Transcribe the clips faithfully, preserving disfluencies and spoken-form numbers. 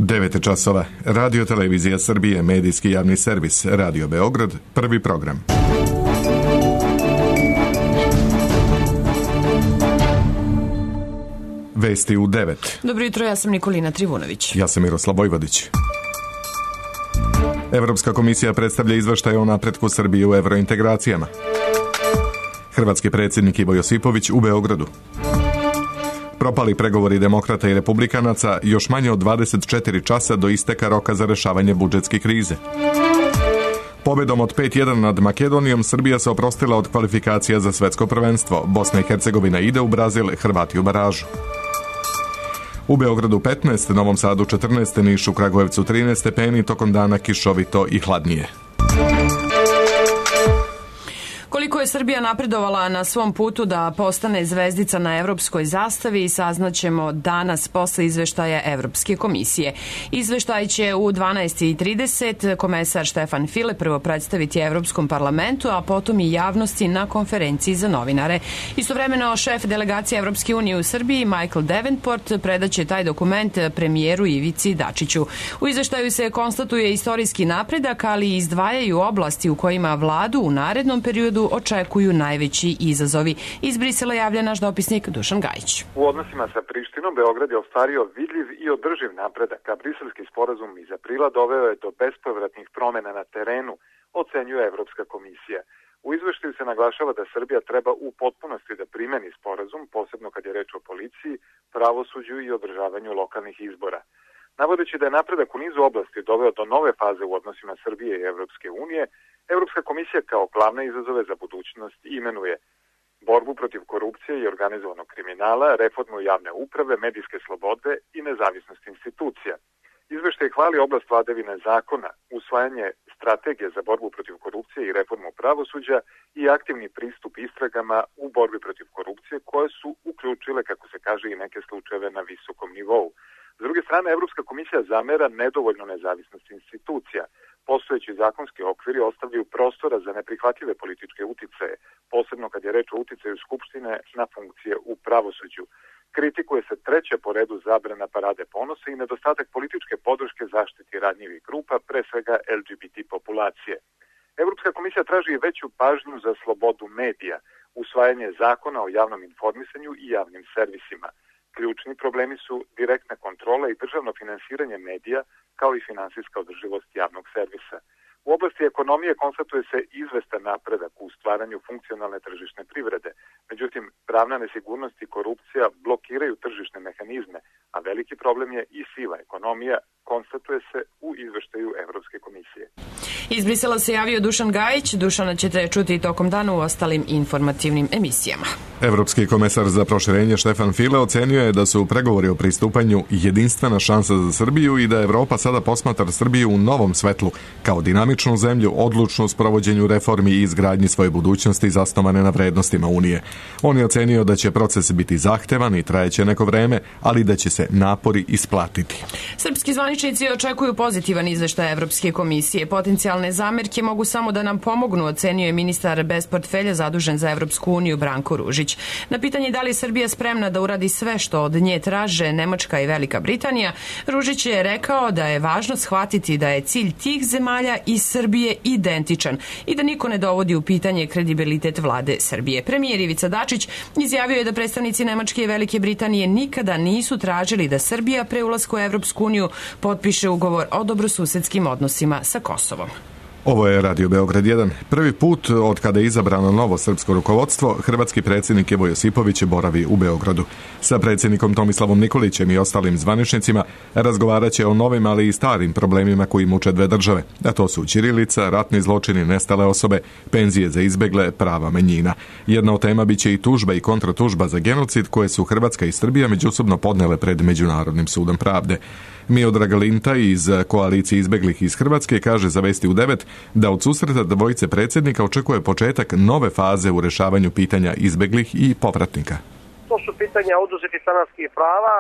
devet časova. Radio Televizija Srbije, medijski javni servis, Radio Beograd, prvi program. Vesti u devet. Dobro jutro, ja sam Nikolina Trivunović. Ja sam Miroslav Vojvodić. Evropska komisija predstavlja izveštaj o napretku Srbije u evrointegracijama. Hrvatski predsjednik Ivo Josipović u Beogradu. Propali pregovori demokrata i republikanaca još manje od dvadeset četiri časa do isteka roka za rešavanje budžetske krize. Pobedom od pet jedan nad Makedonijom Srbija se oprostila od kvalifikacija za svetsko prvenstvo. Bosna i Hercegovina ide u Brazil, Hrvati u baražu. U Beogradu petnaest, Novom Sadu četrnaest, Nišu, Kragujevcu trinaest stepeni, tokom dana kišovito i hladnije. Koliko je Srbija napredovala na svom putu da postane zvezdica na evropskoj zastavi saznaćemo danas posle izveštaja Evropske komisije. Izveštaj će u dvanaest i trideset komesar Štefan File prvo predstaviti Evropskom parlamentu, a potom i javnosti na konferenciji za novinare. Istovremeno šef delegacije Evropske unije u Srbiji Michael Davenport predaće taj dokument premijeru Ivici Dačiću. U izveštaju se konstatuje istorijski napredak, ali i izdvajaju oblasti u kojima vladu u narednom periodu očekuju najveći izazovi. Iz Brisela javlja naš dopisnik Dušan Gajić. U odnosima sa Prištinom Beograd je ostvario vidljiv i održiv napredak, a briselski sporazum iz aprila doveo je do bespovratnih promena na terenu, ocenjuje Evropska komisija. U izveštaju se naglašava da Srbija treba u potpunosti da primeni sporazum, posebno kad je reč o policiji, pravosuđu i održavanju lokalnih izbora. Navodeći da je napredak u nizu oblasti doveo do nove faze u odnosima Srbije i Evropske unije, Evropska komisija kao glavne izazove za budućnost imenuje borbu protiv korupcije i organizovanog kriminala, reformu javne uprave, medijske slobode i nezavisnost institucija. Izveštaj hvali oblast vladavine zakona, usvajanje strategije za borbu protiv korupcije i reformu pravosuđa i aktivni pristup istragama u borbi protiv korupcije koje su uključile, kako se kaže, i neke slučajeve na visokom nivou. S druge strane, Evropska komisija zamera nedovoljnu nezavisnost institucija. Postojeći zakonski okviri ostavljaju prostora za neprihvatljive političke uticaje, posebno kad je reč o uticaju Skupštine na funkcije u pravosuđu. Kritikuje se treća po redu zabrana parade ponosa i nedostatak političke podrške zaštiti ranjivih grupa, pre svega L G B T populacije. Evropska komisija traži veću pažnju za slobodu medija, usvajanje zakona o javnom informisanju i javnim servisima. Ključni problemi su direktna kontrola i državno finansiranje medija, kao i finansijska održivost javnog servisa. U oblasti ekonomije konstatuje se izvestan napredak u stvaranju funkcionalne tržišne privrede. Međutim, pravna nesigurnost i korupcija blokiraju tržišne mehanizme, a veliki problem je i siva ekonomija, konstatuje se u izveštaju Evropske komisije. Iz Brisela se javio Dušan Gajić. Dušana ćete čuti tokom dana u ostalim informativnim emisijama. Evropski komesar za proširenje Štefan File ocenio je da su pregovori o pristupanju jedinstvena šansa za Srbiju i da Evropa sada posmatra Srbiju u novom svetlu, kao dinamičnu zemlju, odlučnu u sprovođenju reformi i izgradnji svoje budućnosti zasnovane na vrednostima Unije. On je ocenio da će proces biti zahtevan i trajeće neko vreme, ali da će se napori isplatiti. Srpski zvaničnici očekuju pozitivan izveštaj Evropske komisije. Potencijalne zamerke mogu samo da nam pomognu, ocenio je ministar bez portfelja zadužen za Evropsku uniju Branko Ružić. Na pitanje da li je Srbija spremna da uradi sve što od nje traže Nemačka i Velika Britanija, Ružić je rekao da je važno shvatiti da je cilj tih zemalja i Srbije identičan i da niko ne dovodi u pitanje kredibilitet vlade Srbije. Premijer Ivica Dačić izjavio je da predstavnici Nemačke i Velike Britanije nikada nisu tražili da Srbija pre ulaska u Evropsku uniju potpiše ugovor o dobrosusedskim odnosima sa Kosovom. Ovo je Radio Beograd jedan. Prvi put od kada je izabrano novo srpsko rukovodstvo, hrvatski predsjednik Ivo Josipović boravi u Beogradu. Sa predsjednikom Tomislavom Nikolićem i ostalim zvaničnicima razgovarat će o novim, ali i starim problemima koji muče dve države. A to su ćirilica, ratni zločini, nestale osobe, penzije za izbegle, prava manjina. Jedna od tema biće i tužba i kontratužba za genocid koje su Hrvatska i Srbija međusobno podnele pred Međunarodnim sudom pravde. Miodrag Linta iz koalicije izbeglih iz Hrvatske kaže za Vesti u devet da od susreta dvojice predsjednika očekuje početak nove faze u rešavanju pitanja izbeglih i povratnika. To su pitanja oduzetih stanarskih prava,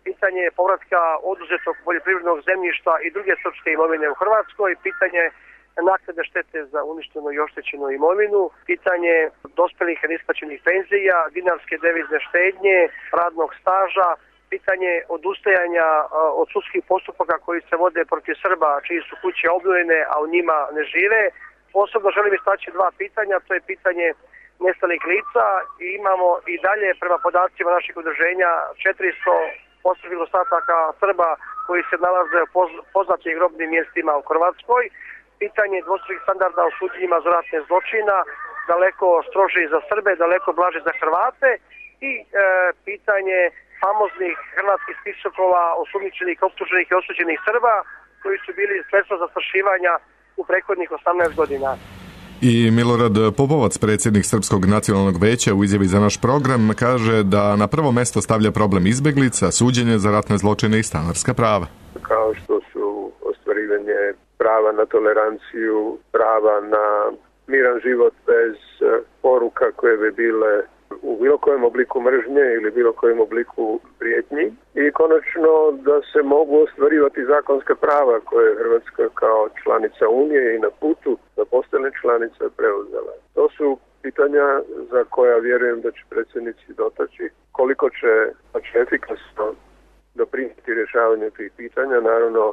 pitanje povratka oduzetog poljoprivrednog zemljišta i druge srpske imovine u Hrvatskoj, pitanje naknade štete za uništenu i oštećenu imovinu, pitanje dospelih i neisplaćenih penzija, dinarske devizne štednje, radnog staža pitanje odustajanja od sudskih postupaka koji se vode protiv Srba, čiji su kuće obnovljene, a u njima ne žive. Posebno želim istaći dva pitanja, to je pitanje nestalih lica i imamo i dalje prema podacima naših udruženja četiristo posmrtnih ostataka Srba koji se nalaze u poznatim grobnim mjestima u Hrvatskoj. Pitanje dvostrukih standarda u suđenjima za ratne zločina, daleko strože za Srbe, daleko blaže za Hrvate i e, pitanje famoznih hrvatskih spiskova osumnjičenih, optuženih i osuđenih Srba koji su bili sredstvo zastrašivanja u prethodnih osamnaest godina. I Milorad Pupovac, predsjednik Srpskog nacionalnog veća, u izjavi za naš program kaže da na prvo mjesto stavlja problem izbjeglica, suđenje za ratne zločine i stanarska prava. Kao što su ostvarivanje prava na toleranciju, prava na miran život bez poruka koje bi bile u bilo kojem obliku mržnje ili bilo kojem obliku prijetnji i konačno da se mogu ostvarivati zakonska prava koje je Hrvatska kao članica Unije i na putu da postane članica preuzela. To su pitanja za koja vjerujem da će predsjednici dotaći. Koliko će efikasno doprinijeti rješavanju tih pitanja, naravno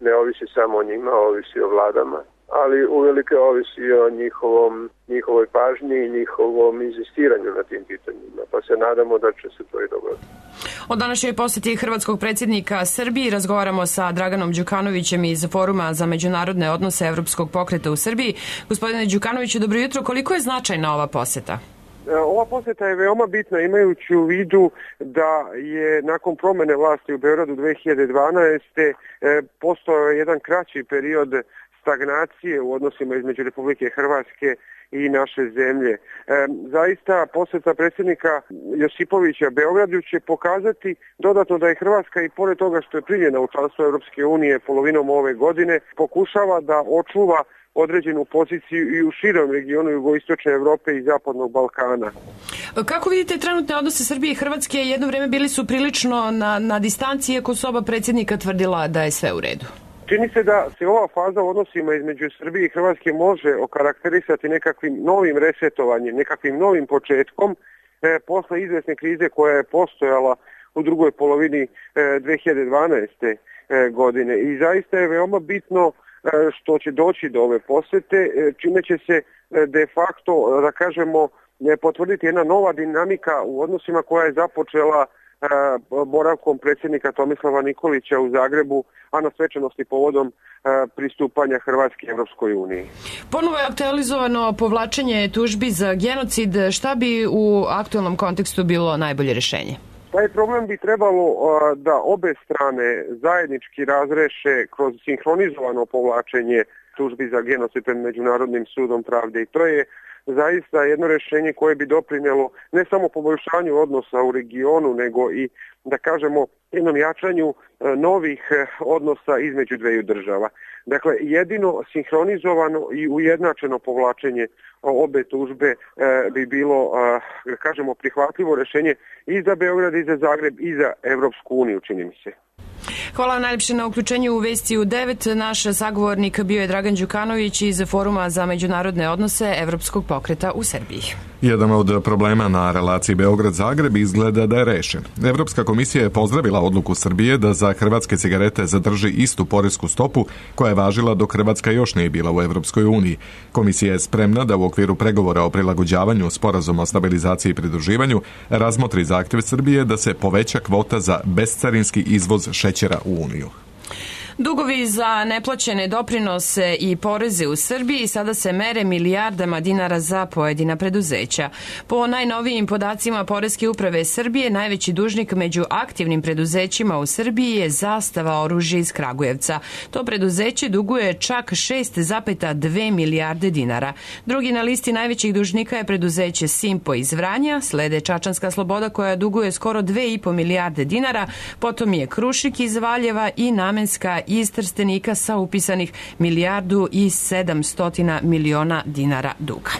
ne ovisi samo o njima, ovisi o vladama, ali uvelike ovisi o njihovom, njihovoj pažnji i njihovom inzistiranju na tim pitanjima, pa se nadamo da će se to i dogoditi. O današnjoj posjeti hrvatskog predsjednika Srbiji razgovaramo sa Draganom Đukanovićem iz Foruma za međunarodne odnose Evropskog pokreta u Srbiji. Gospodine Đukanoviću, dobro jutro. Koliko je značajna ova posjeta? Ova posjeta je veoma bitna imajući u vidu da je nakon promjene vlasti u Beogradu dve hiljade dvanaeste. postojao jedan kraći period stagnacije u odnosima između Republike Hrvatske i naše zemlje. E, zaista posjeta predsjednika Josipovića Beogradu će pokazati dodatno da je Hrvatska i pored toga što je primljena u članstvo Europske unije polovinom ove godine pokušava da očuva određenu poziciju i u širom regionu jugoistočne Europe i zapadnog Balkana. Kako vidite trenutne odnose Srbije i Hrvatske? Jedno vrijeme bili su prilično na, na distanci, iako su oba predsjednika tvrdila da je sve u redu. Čini se da se ova faza u odnosima između Srbije i Hrvatske može okarakterisati nekakvim novim resetovanjem, nekakvim novim početkom e, posle izvesne krize koja je postojala u drugoj polovini e, dve hiljade dvanaeste. E, godine. I zaista je veoma bitno e, što će doći do ove posjete, e, čime će se e, de facto, da kažemo, e, potvrditi jedna nova dinamika u odnosima koja je započela boravkom predsjednika Tomislava Nikolića u Zagrebu, a na svečanosti povodom pristupanja Hrvatske Evropskoj uniji. Ponovo je aktualizovano povlačenje tužbi za genocid. Šta bi u aktualnom kontekstu bilo najbolje rješenje? Taj problem bi trebalo da obe strane zajednički razreše kroz sinhronizovano povlačenje tužbi za genocid pred Međunarodnim sudom pravde. I to je zaista jedno rješenje koje bi doprinijelo ne samo poboljšanju odnosa u regionu, nego i, da kažemo, jednom jačanju novih odnosa između dveju država. Dakle, jedino sinhronizovano i ujednačeno povlačenje obe tužbe bi bilo, da kažemo, prihvatljivo rješenje i za Beograd, i za Zagreb, i za Evropsku uniju, čini mi se. Hvala najljepše na uključenju u Vesti u devet. Naš sagovornik bio je Dragan Đukanović iz Foruma za međunarodne odnose Evropskog pokreta u Srbiji. Jedan od problema na relaciji Beograd-Zagreb izgleda da je rešen. Evropska komisija je pozdravila odluku Srbije da za hrvatske cigarete zadrži istu poresku stopu koja je važila dok Hrvatska još nije bila u Evropskoj uniji. Komisija je spremna da u okviru pregovora o prilagođavanju sporazuma o stabilizaciji i pridruživanju razmotri zahtjev Srbije da se poveća kvota za bescarinski izvoz šećera u Uniju. Dugovi za neplaćene doprinose i poreze u Srbiji sada se mere milijardama dinara za pojedina preduzeća. Po najnovijim podacima Poreske uprave Srbije, najveći dužnik među aktivnim preduzećima u Srbiji je Zastava oružje iz Kragujevca. To preduzeće duguje čak šest zarez dve milijarde dinara. Drugi na listi najvećih dužnika je preduzeće Simpo iz Vranja, slede Čačanska Sloboda koja duguje skoro dve i po milijarde dinara, potom je Krušik iz Valjeva i Namenska iz Trstenika sa upisanih milijardu i sedamsto miliona dinara duga.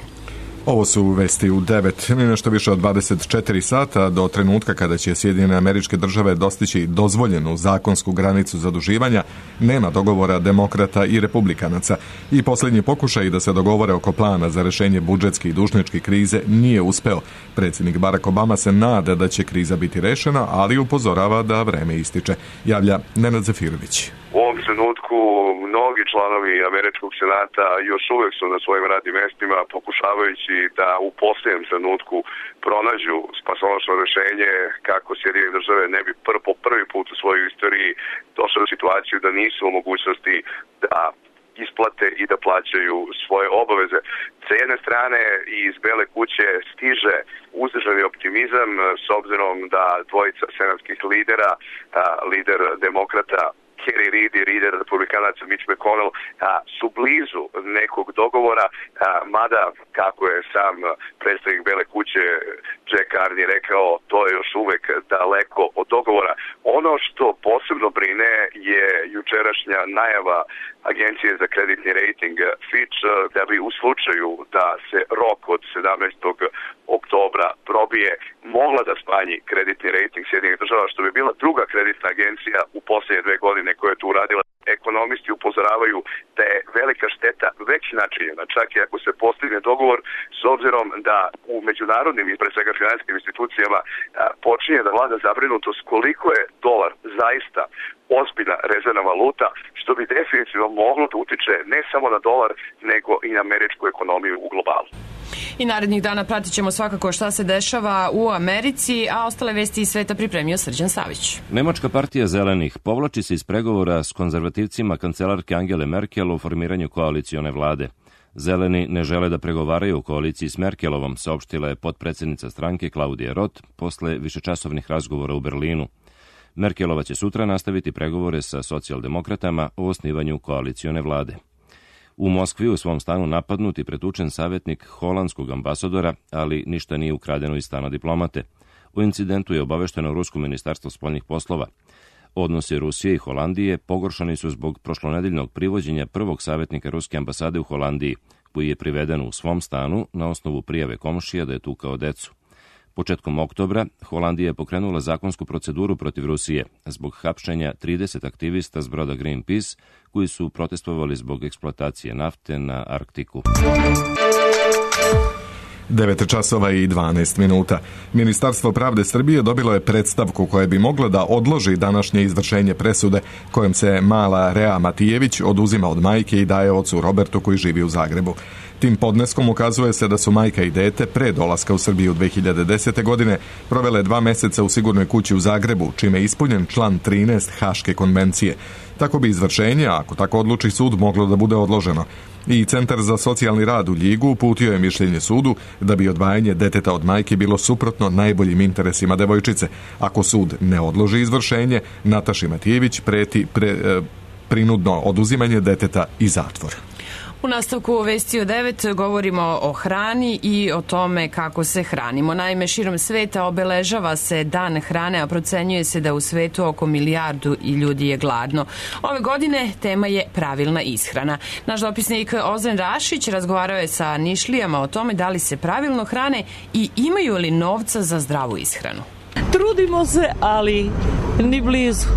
Ovo su vesti u devet, nešto više od dvadeset četiri sata do trenutka kada će Sjedinjene Američke Države dostići dozvoljenu zakonsku granicu zaduživanja, nema dogovora demokrata i republikanaca i posljednji pokušaj da se dogovore oko plana za rešenje budžetske i dužničke krize nije uspeo. Predsjednik Barack Obama se nada da će kriza biti rešena, ali upozorava da vreme ističe. Javlja Nenad Zafirović. U ovom trenutku mnogi članovi Američkog senata još uvijek su na svojim radnim mjestima pokušavajući da u posljednjem trenutku pronađu spasonosno rješenje kako Sjedinjene Države ne bi pr po prvi put u svojoj istoriji došli u situaciju da nisu u mogućnosti da isplate i da plaćaju svoje obaveze. Sa jedne strane iz Bele kuće stiže uzdržani optimizam s obzirom da dvojica senatskih lidera, lider demokrata Harry Reid i lider republikanaca Mitch McConnell a, su blizu nekog dogovora, a, mada, kako je sam predstavnik Bele kuće Jack Carney rekao, to je još uvek daleko od dogovora. Ono što posebno brine je jučerašnja najava Agencije za kreditni rating Fitch da bi u slučaju da se rok od sedamnaestog oktobra probije mogla da smanji kreditni rating Sjedinjenih Država, što bi bila druga kreditna agencija u posljednje dve godine koja je to uradila. Ekonomisti upozoravaju da je velika šteta već načinjena, čak i ako se postigne dogovor, s obzirom da u međunarodnim i pre svega finansijskim institucijama počinje da vlada zabrinutost koliko je dolar zaista ozbiljna rezervna valuta, što bi definitivno moglo da utiče ne samo na dolar, nego i na američku ekonomiju u globalu. I narednih dana pratit ćemo svakako šta se dešava u Americi, a ostale vesti iz sveta pripremio Srđan Savić. Nemačka partija Zelenih povlači se iz pregovora s konzervativcima kancelarke Angele Merkel o formiranju koalicione vlade. Zeleni ne žele da pregovaraju u koaliciji s Merkelovom, saopštila je potpredsjednica stranke Klaudija Roth posle višečasovnih razgovora u Berlinu. Merkelova će sutra nastaviti pregovore sa socijaldemokratama o osnivanju koalicione vlade. U Moskvi u svom stanu napadnut i pretučen savjetnik holandskog ambasadora, ali ništa nije ukradeno iz stana diplomate. O incidentu je obavešteno Rusko ministarstvo spoljnih poslova. Odnosi Rusije i Holandije pogoršani su zbog prošlonedeljnog privođenja prvog savjetnika ruske ambasade u Holandiji, koji je priveden u svom stanu na osnovu prijave komšija da je tukao decu. Početkom oktobra Holandija je pokrenula zakonsku proceduru protiv Rusije zbog hapšenja trideset aktivista s broda Greenpeace koji su protestovali zbog eksploatacije nafte na Arktiku. devet časova i dvanaest minuta. Ministarstvo pravde Srbije dobilo je predstavku koja bi mogla da odloži današnje izvršenje presude kojom se mala Rea Matijević oduzima od majke i daje ocu Robertu koji živi u Zagrebu. Tim podneskom ukazuje se da su majka i dete pre dolaska u Srbiju dve hiljade desete. godine provele dva meseca u sigurnoj kući u Zagrebu, čime je ispunjen član trinaest Haške konvencije. Tako bi izvršenje, ako tako odluči sud, moglo da bude odloženo. I Centar za socijalni rad u Ljigu uputio je mišljenje sudu da bi odvajanje deteta od majke bilo suprotno najboljim interesima devojčice. Ako sud ne odloži izvršenje, Nataši Matijević preti pre, prinudno oduzimanje deteta i zatvor. U nastavku vesti o devet govorimo o hrani i o tome kako se hranimo. Naime, širom sveta obeležava se dan hrane, a procenjuje se da u svetu oko milijardu i ljudi je gladno. Ove godine tema je pravilna ishrana. Naš dopisnik Ozren Rašić razgovarao je sa Nišlijama o tome da li se pravilno hrane i imaju li novca za zdravu ishranu. Trudimo se, ali ni blizu.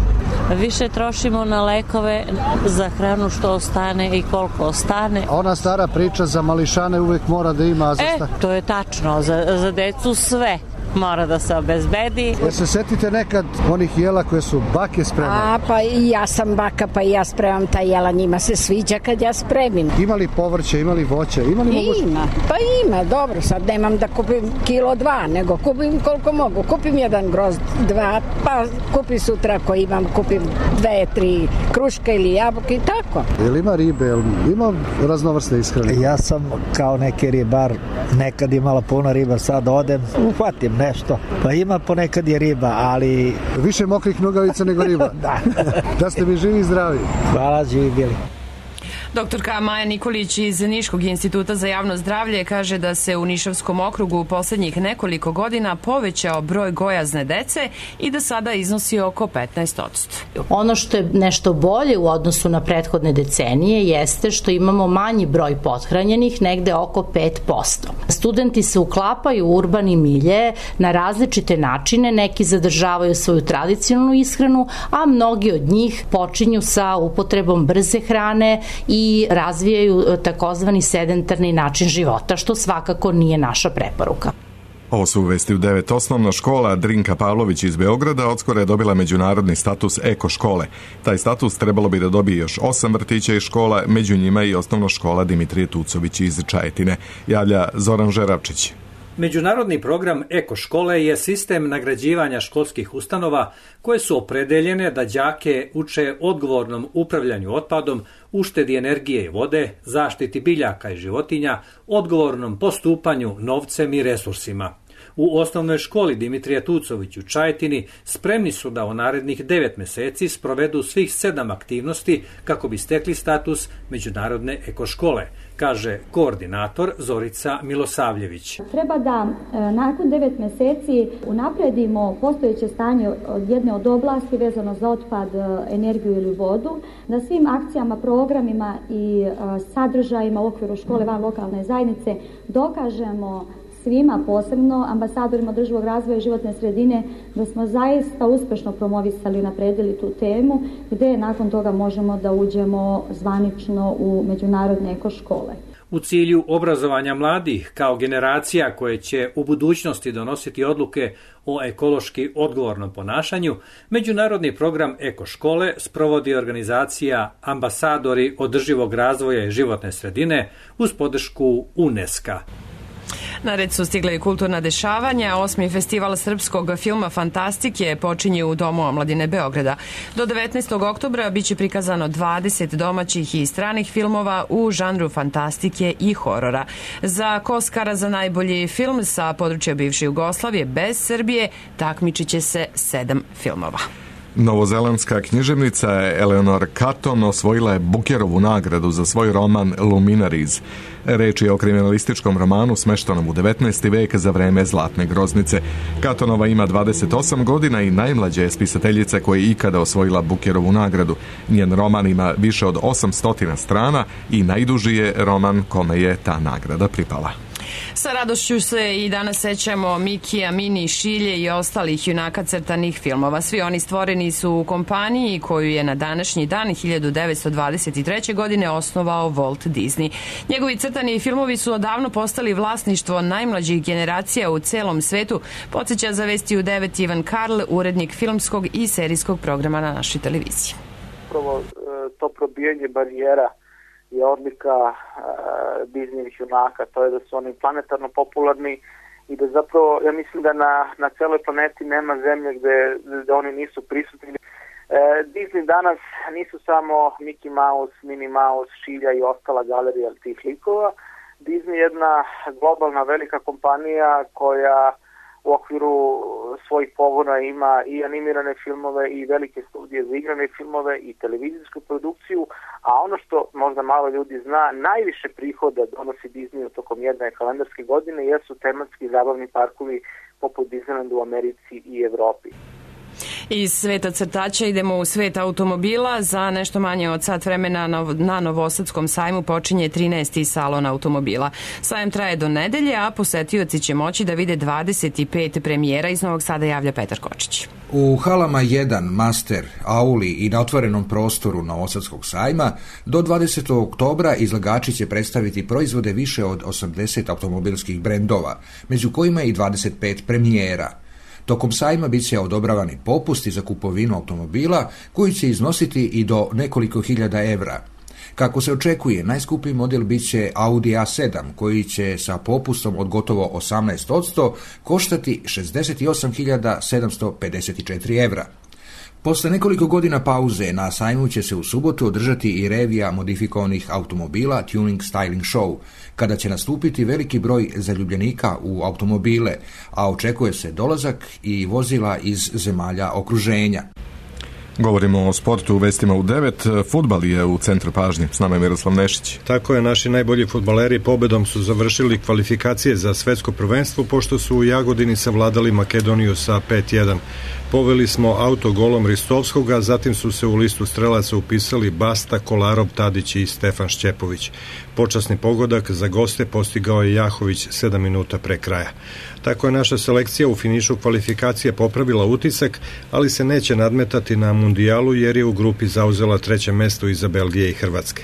Više trošimo na lekove za hranu što ostane i koliko ostane. Ona stara priča za mališane uvijek mora da ima. Za e, to je tačno. Za, za decu sve mora da se obezbedi. Ja se setite nekad onih jela koje su bake spremane? A, pa i ja sam baka, pa i ja spremam taj jela. Njima se sviđa kad ja spremim. Ima li povrće, ima li voće? Ima, li moguće? Ima, pa ima, dobro. Sad nemam da kupim kilo dva, nego kupim koliko mogu. Kupim jedan grozd, dva, pa kupim sutra ako imam, kupim dve, tri kruške ili jabuke i tako. Jel ima ribe, jel ima raznovrsne ishrane? Ja sam kao neki ribar, nekad imala puno riba, sad odem, uhvatim nešto. Pa ima ponekad je riba, ali... Više mokrih nogavica nego riba. Da. Da ste mi živi i zdravi. Hvala, živi bili. Doktorka Maja Nikolić iz Niškog instituta za javno zdravlje kaže da se u Nišavskom okrugu u poslednjih nekoliko godina povećao broj gojazne dece i da sada iznosi oko petnaest posto. Ono što je nešto bolje u odnosu na prethodne decenije jeste što imamo manji broj pothranjenih, negde oko pet posto. Studenti se uklapaju u urbani milje na različite načine, neki zadržavaju svoju tradicionalnu ishranu, a mnogi od njih počinju sa upotrebom brze hrane i razvijaju takozvani sedentarni način života, što svakako nije naša preporuka. Ovo su vesti u devet. Osnovna škola Drinka Pavlović iz Beograda odskoro je dobila međunarodni status eko škole. Taj status trebalo bi da dobije još osam vrtića i škola, među njima i osnovna škola Dimitrije Tucović iz Čajetine. Javlja Zoran Žeravčić. Međunarodni program Eko škole je sistem nagrađivanja školskih ustanova koje su opredeljene da đake uče odgovornom upravljanju otpadom, uštedi energije i vode, zaštiti biljaka i životinja, odgovornom postupanju novcem i resursima. U osnovnoj školi Dimitrija Tucović u Čajetini spremni su da u narednih devet meseci sprovedu svih sedam aktivnosti kako bi stekli status međunarodne ekoškole, kaže koordinator Zorica Milosavljević. Treba da nakon devet meseci unapredimo postojeće stanje od jedne od oblasti vezano za otpad, energiju ili vodu, na svim akcijama, programima i sadržajima u okviru škole van lokalne zajednice dokažemo svima, posebno ambasadorima održivog razvoja i životne sredine, da smo zaista uspešno promovisali i napredili tu temu, gde nakon toga možemo da uđemo zvanično u međunarodne ekoškole. U cilju obrazovanja mladih kao generacija koje će u budućnosti donositi odluke o ekološki odgovornom ponašanju, međunarodni program Ekoškole sprovodi organizacija Ambasadori održivog razvoja i životne sredine uz podršku UNESCO. Na red su stigle i kulturna dešavanja. Osmi festival srpskog filma Fantastike počinje u Domu omladine Beograda. Do devetnaestog oktobra biće prikazano dvadeset domaćih i stranih filmova u žanru fantastike i horora. Za Oskara za najbolji film sa područja bivše Jugoslavije bez Srbije takmičit će se sedam filmova. Novozelandska književnica Eleanor Catton osvojila je Bookerovu nagradu za svoj roman Luminaries. Reč je o kriminalističkom romanu smeštenom u devetnaesti vek za vreme Zlatne groznice. Cattonova ima dvadeset osam godina i najmlađa je spisateljica koja je ikada osvojila Bookerovu nagradu. Njen roman ima više od osamsto strana i najduži je roman kome je ta nagrada pripala. Sa radošću se i danas sećamo Mikija, Mini, Šilje i ostalih junaka crtanih filmova. Svi oni stvoreni su u kompaniji koju je na današnji dan hiljadu devetsto dvadeset treće. godine osnovao Walt Disney. Njegovi crtani filmovi su odavno postali vlasništvo najmlađih generacija u celom svetu, podsjeća za vesti u devet Ivan Karl, urednik filmskog i serijskog programa na našoj televiziji. Prvo, to probijanje barijera je odlika uh, Disneyvih junaka, to je da su oni planetarno popularni i da zapravo, ja mislim da na, na celoj planeti nema zemlje gde, gde oni nisu prisutni. Uh, Disney danas nisu samo Mickey Mouse, Minnie Mouse, Šilja i ostala galerija tih likova. Disney je jedna globalna velika kompanija koja u okviru svojih pogona ima i animirane filmove i velike studije za igrane filmove i televizijsku produkciju, a ono što možda malo ljudi zna, najviše prihoda donosi Disney tokom jedne kalendarske godine jesu tematski zabavni parkovi poput Disneylandu u Americi i Evropi. Iz sveta crtača idemo u svet automobila. Za nešto manje od sat vremena na Novosadskom sajmu počinje trinaesti salon automobila. Sajam traje do nedelje, a posetioci će moći da vide dvadeset pet premijera. Iz Novog Sada javlja Petar Kočić. U halama jedan, Master, Auli i na otvorenom prostoru Novosadskog sajma do dvadesetog oktobra izlagači će predstaviti proizvode više od osamdeset automobilskih brendova, među kojima i dvadeset pet premijera. Tokom sajma bit će odobravani popusti za kupovinu automobila koji će iznositi i do nekoliko hiljada evra. Kako se očekuje, najskuplji model bit će Audi A sedam koji će sa popustom od gotovo osamnaest posto koštati šezdeset osam hiljada sedamsto pedeset četiri evra. Posle nekoliko godina pauze na sajmu će se u subotu održati i revija modifikovanih automobila Tuning Styling Show, kada će nastupiti veliki broj zaljubljenika u automobile, a očekuje se dolazak i vozila iz zemalja okruženja. Govorimo o sportu u vestima u devet. Fudbal je u centru pažnje. S nama je Miroslav Nešić. Tako je, naši najbolji fudbaleri pobedom su završili kvalifikacije za svetsko prvenstvo, pošto su u Jagodini savladali Makedoniju sa pet jedan. Poveli smo autogolom Ristovskoga, zatim su se u listu strelaca upisali Basta, Kolarov, Tadić i Stefan Šćepović. Počasni pogodak za goste postigao je Jahović sedam minuta pre kraja. Tako je naša selekcija u finišu kvalifikacije popravila utisak, ali se neće nadmetati na mundijalu jer je u grupi zauzela treće mesto iza Belgije i Hrvatske.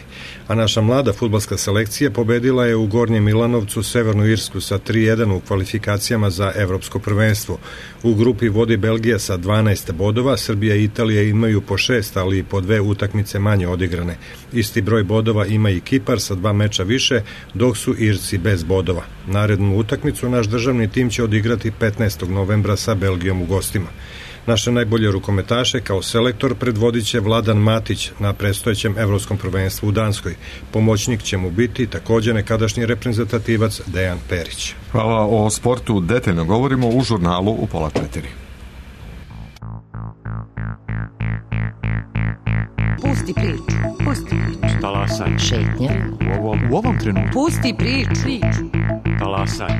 A naša mlada fudbalska selekcija pobedila je u Gornjem Milanovcu Severnu Irsku sa tri jedan u kvalifikacijama za evropsko prvenstvo. U grupi vodi Belgija sa dvanaest bodova, Srbija i Italija imaju po šest, ali i po dve utakmice manje odigrane. Isti broj bodova ima i Kipar sa dva meča više, dok su Irci bez bodova. Narednu utakmicu naš državni tim će odigrati petnaestog novembra sa Belgijom u gostima. Naše najbolje rukometaše kao selektor predvodit će Vladan Matić na predstojećem evropskom prvenstvu u Danskoj. Pomoćnik će mu biti također nekadašnji reprezentativac Dejan Perić. Hvala. O sportu detaljno govorimo u žurnalu u pola četiri. Pusti priču, pusti priču. Talasaj. Šetnja. U ovom, u ovom trenutku. Pusti priču, priču. Talasaj.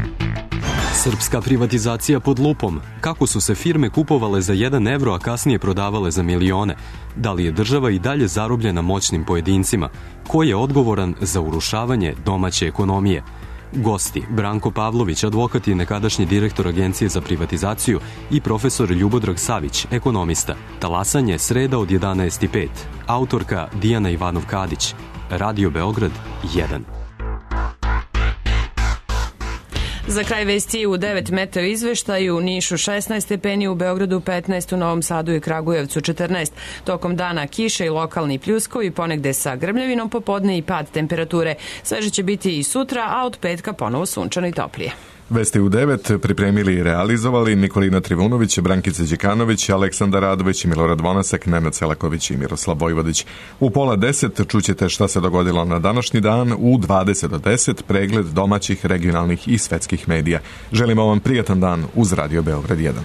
Srpska privatizacija pod lupom. Kako su se firme kupovale za jedan evro, a kasnije prodavale za milione? Da li je država i dalje zarobljena moćnim pojedincima? Ko je odgovoran za urušavanje domaće ekonomije? Gosti: Branko Pavlović, advokat i nekadašnji direktor Agencije za privatizaciju, i profesor Ljubodrag Savić, ekonomista. Talasanje, sreda od jedanaest i pet. Autorka Dijana Ivanov-Kadić. Radio Beograd jedan. Za kraj vesti u devet meteo izveštaju: u Nišu šesnaest stepeni, u Beogradu petnaest, u Novom Sadu i Kragujevcu četrnaest. Tokom dana kiše i lokalni pljuskovi, ponegde sa grmljavinom, popodne i pad temperature. Sveže će biti i sutra, a od petka ponovo sunčano i toplije. Vesti u devet pripremili i realizovali Nikolina Trivunović, Brankica Đekanović, Aleksandar Radović, Milorad Vonasak, Nenad Selaković i Miroslav Vojvodić. U pola deset čućete šta se dogodilo na današnji dan, u dvadeset do deset pregled domaćih, regionalnih i svetskih medija. Želimo vam prijatan dan uz Radio Beograd jedan.